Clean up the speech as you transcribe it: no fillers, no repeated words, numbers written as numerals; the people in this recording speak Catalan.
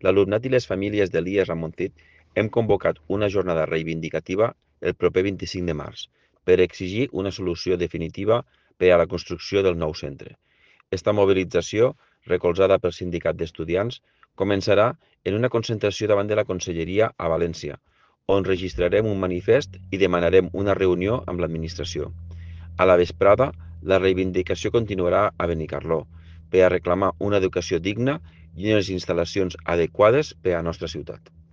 L'alumnat i les famílies de l'IES Ramoncit hem convocat una jornada reivindicativa el proper 25 de març per exigir una solució definitiva per a la construcció del nou centre. Esta mobilització, recolzada pel Sindicat d'Estudiants, començarà en una concentració davant de la Conselleria a València, on registrarem un manifest i demanarem una reunió amb l'administració. A la vesprada, la reivindicació continuarà a Benicarló per a reclamar una educació digna i unes instal·lacions adequades per a la nostra ciutat.